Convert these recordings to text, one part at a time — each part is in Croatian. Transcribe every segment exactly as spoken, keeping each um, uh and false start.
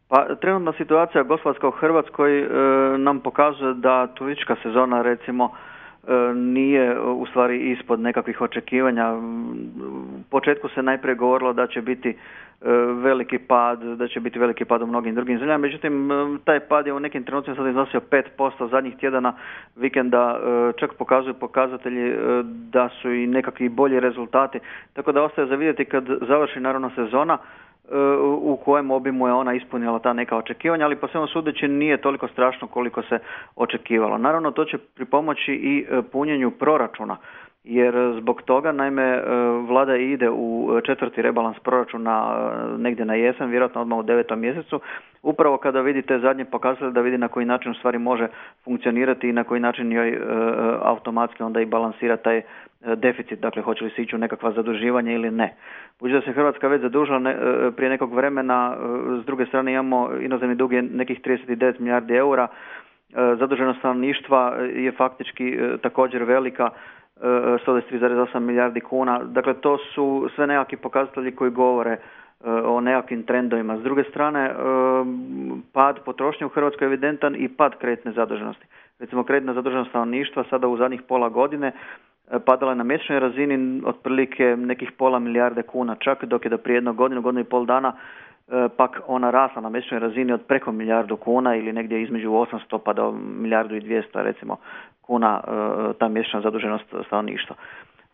Pa trenutna situacija gospodarska u Hrvatskoj e, nam pokazuje da turistička sezona recimo e, nije u stvari ispod nekakvih očekivanja. U početku se najprije govorilo da će biti e, veliki pad, da će biti veliki pad u mnogim drugim zemljama, međutim e, taj pad je u nekim trenucima sad iznosio pet posto zadnjih tjedana vikenda, e, čak pokazuju pokazatelji e, da su i nekakvi bolji rezultati, tako da ostaje za vidjeti kad završi naravno sezona u kojem obimu je ona ispunila ta neka očekivanja, ali po svemu sudeći nije toliko strašno koliko se očekivalo. Naravno, to će pripomoći i punjenju proračuna, jer zbog toga, naime, vlada ide u četvrti rebalans proračuna negdje na jesen, vjerojatno odmah u devetom mjesecu, upravo kada vidite zadnje pokazatelje da vidi na koji način u stvari može funkcionirati i na koji način joj automatski onda i balansira taj deficit, dakle hoće li se ići u nekakva zaduživanja ili ne. Budući da se Hrvatska već zadužila ne, prije nekog vremena, s druge strane imamo inozemni dug je nekih trideset devet milijardi eura, zaduženost stanovništva je faktički također velika, sto dvadeset tri zarez osam milijardi kuna, dakle to su sve nekakvi pokazatelji koji govore o nekakvim trendovima. S druge strane, pad potrošnje u Hrvatskoj je evidentan i pad kreditne zaduženosti. Recimo kreditna zaduženost stanovništva sada u zadnjih pola godine padala je na mjesečnoj razini otprilike nekih pola milijarde kuna čak, dok je do prije jednog godinu, godinu i pol dana pak ona rasla na mjesečnoj razini od preko milijardu kuna ili negdje između osamsto pa do milijardu i dvjesto recimo kuna ta mjesečna zaduženost stanovništva.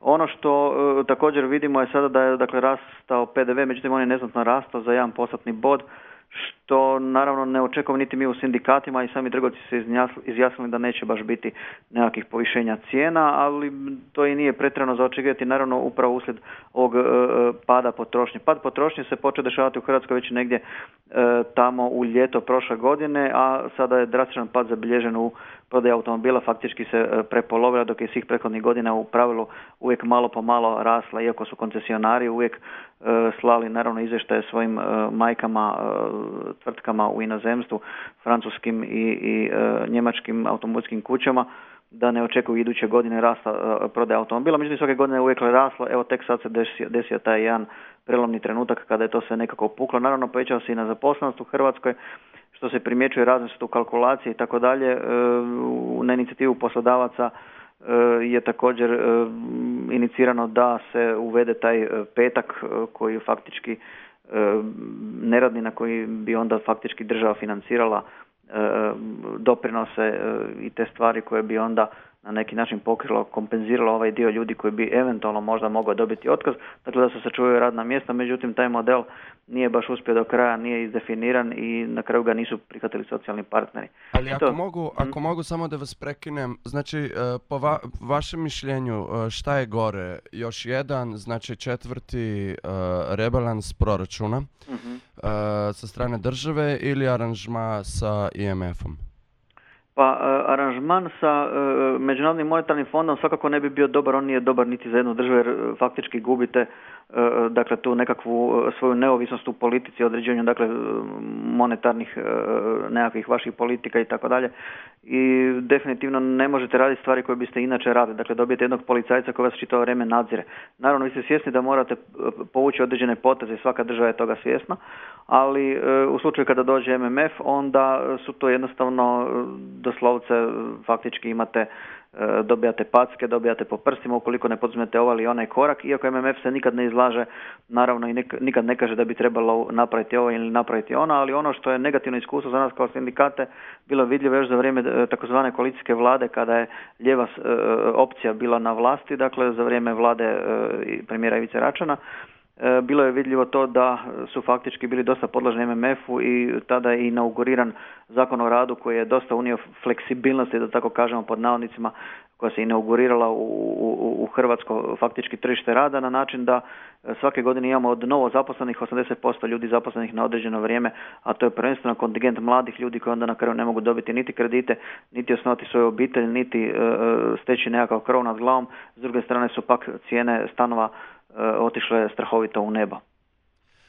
Ono što e, također vidimo je sada da je dakle rastao P D V, međutim on je neznatno rastao za jedan postotni bod, što naravno ne očekujemo niti mi u sindikatima i sami trgovci se izjasnili da neće baš biti nekakvih povišenja cijena, ali to i nije pretjerano za očekivati naravno upravo uslijed ovog e, pada potrošnje. Pad potrošnje se počeo dešavati u Hrvatskoj već negdje e, tamo u ljeto prošle godine, a sada je drastičan pad zabilježen u prodaji automobila, faktički se e, prepolovila, dok je svih prethodnih godina u pravilu uvijek malo po malo rasla, iako su koncesionari uvijek e, slali naravno izvještaje svojim e, majkama, e, tvrtkama u inozemstvu, francuskim i, i e, njemačkim automobilskim kućama, da ne očekuju iduće godine rasta e, prodaje automobila. Međutim, svake godine je uvijek raslo, evo tek sad se desio, desio taj jedan prelomni trenutak kada je to sve nekako puklo. Naravno, povećao se i na zaposlenost u Hrvatskoj, što se primjećuje razne su tu kalkulacije i tako dalje. Na inicijativu poslodavaca je također inicirano da se uvede taj petak koji faktički neradni, na koji bi onda faktički država financirala doprinose i te stvari koje bi onda na neki način pokrilo, kompenziralo ovaj dio ljudi koji bi eventualno možda mogao dobiti otkaz, dakle da se sačuvaju radna mjesta, međutim taj model nije baš uspio do kraja, nije izdefiniran i na kraju ga nisu prihvatili socijalni partneri. Ali ako, mogu, ako mogu samo da vas prekinem, znači po va, vašem mišljenju šta je gore? Još jedan, znači četvrti uh, rebalans proračuna uh-huh. uh, sa strane države ili aranžma sa I M F-om? Pa aranžman sa uh, Međunarodnim monetarnim fondom svakako ne bi bio dobar, on nije dobar niti za jednu državu jer uh, faktički gubite uh, dakle tu nekakvu uh, svoju neovisnost u politici, određenju dakle monetarnih uh, nekakvih vaših politika i tako dalje i definitivno ne možete raditi stvari koje biste inače radili, dakle dobijete jednog policajca koji vas čitavo vrijeme nadzire. Naravno vi ste svjesni da morate povući određene poteze, svaka država je toga svjesna, ali uh, u slučaju kada dođe M M F onda su to jednostavno uh, doslovce faktički imate, dobijate packe, dobijate po prstima ukoliko ne poduzmete ovaj ili onaj korak, iako M M F se nikad ne izlaže, naravno i nikad ne kaže da bi trebalo napraviti ovo ili napraviti ono, ali ono što je negativno iskustvo za nas kao sindikate bilo vidljivo još za vrijeme takozvane koalicijske vlade kada je lijeva opcija bila na vlasti, dakle za vrijeme vlade premijera Ivice Račana. Bilo je vidljivo to da su faktički bili dosta podložni M M F-u i tada je inauguriran Zakon o radu koji je dosta unio fleksibilnosti, da tako kažemo pod navodnicima, koja se inaugurirala u, u, u hrvatsko faktički tržište rada na način da svake godine imamo od novo zaposlenih osamdeset posto ljudi zaposlenih na određeno vrijeme, a to je prvenstveno kontingent mladih ljudi koji onda na kraju ne mogu dobiti niti kredite, niti osnovati svoju obitelj, niti uh, steći nekakav krov nad glavom. S druge strane su pak cijene stanova otišle strahovito u nebo.